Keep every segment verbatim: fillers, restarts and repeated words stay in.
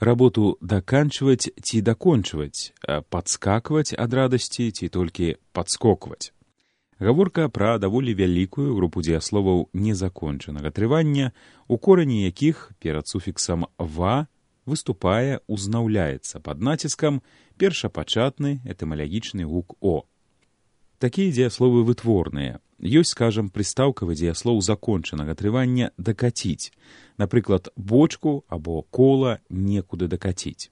Работу даканчваць ці дакончваць, падскакваць ад радасці ці толькі падскокваць. Гаворка пра даволі вялікую групу дзеясловаў незакончанага трывання, у корані якіх перад суфіксам «ва» выступае, узнаўляецца пад націскам першапачатны этымалагічны гук «о». Такія дзеясловы вытворныя. Ёсць, скажам, прыстаўкавы дзеяслоў закончанага трывання «дакаціць». Напрыклад, бочку або кола некуды дакаціць.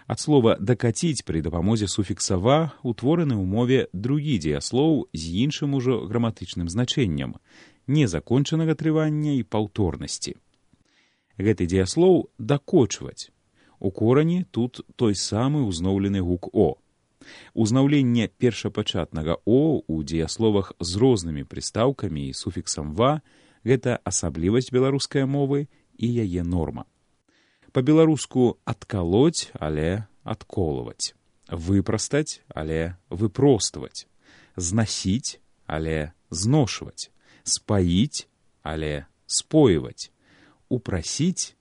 Ад слова «дакаціць» пры дапамозе суфікса «ва» утвораны ў мове другі дзеяслоў з іншым ужо граматычным значэннем – незакончанага трывання і паўторнасці. Гэты дзеяслоў «дакочваць». У корані тут той самы ўзнаўлены гук «о». Узнаўленне першапачатнага «о» у дзеясловах з рознымі прыстаўкамі і суфіксам «ва» – гэта асаблівасць беларускай мовы і яе норма. Па-беларуску адкалоць, але адколваць. Выпрастаць, але выпростваць. Знасіць, але зношваць. Спаіць, але спойваць. Упрасіць,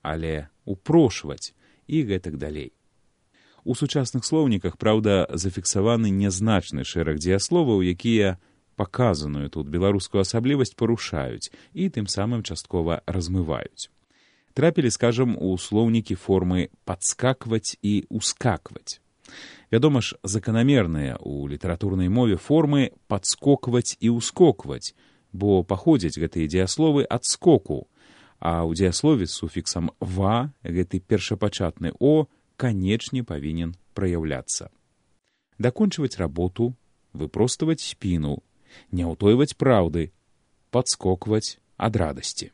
але упрошваць і гэтак далей. У сучасных слоўніках, праўда, зафіксаваны нязначны шэраг дзеясловаў, якія паказаную тут беларускую асаблівасць парушаюць і тым самым часткова размываюць. Трапілі, скажам, у слоўнікі формы «падскакваць» і «ускакваць». Вядома ж, заканамерныя ў літаратурнай мове формы «падскокваць» і «ускокваць», бо паходзяць гэтыя дзеясловы ад скоку, а ў дзеяслове з суфіксам «ва» гэты першапачатны «о» канечне павінен праяўляцца. Дакончваць работу, выпростваваць спіну, не ўтойваць праўды, падскокваць ад радасці.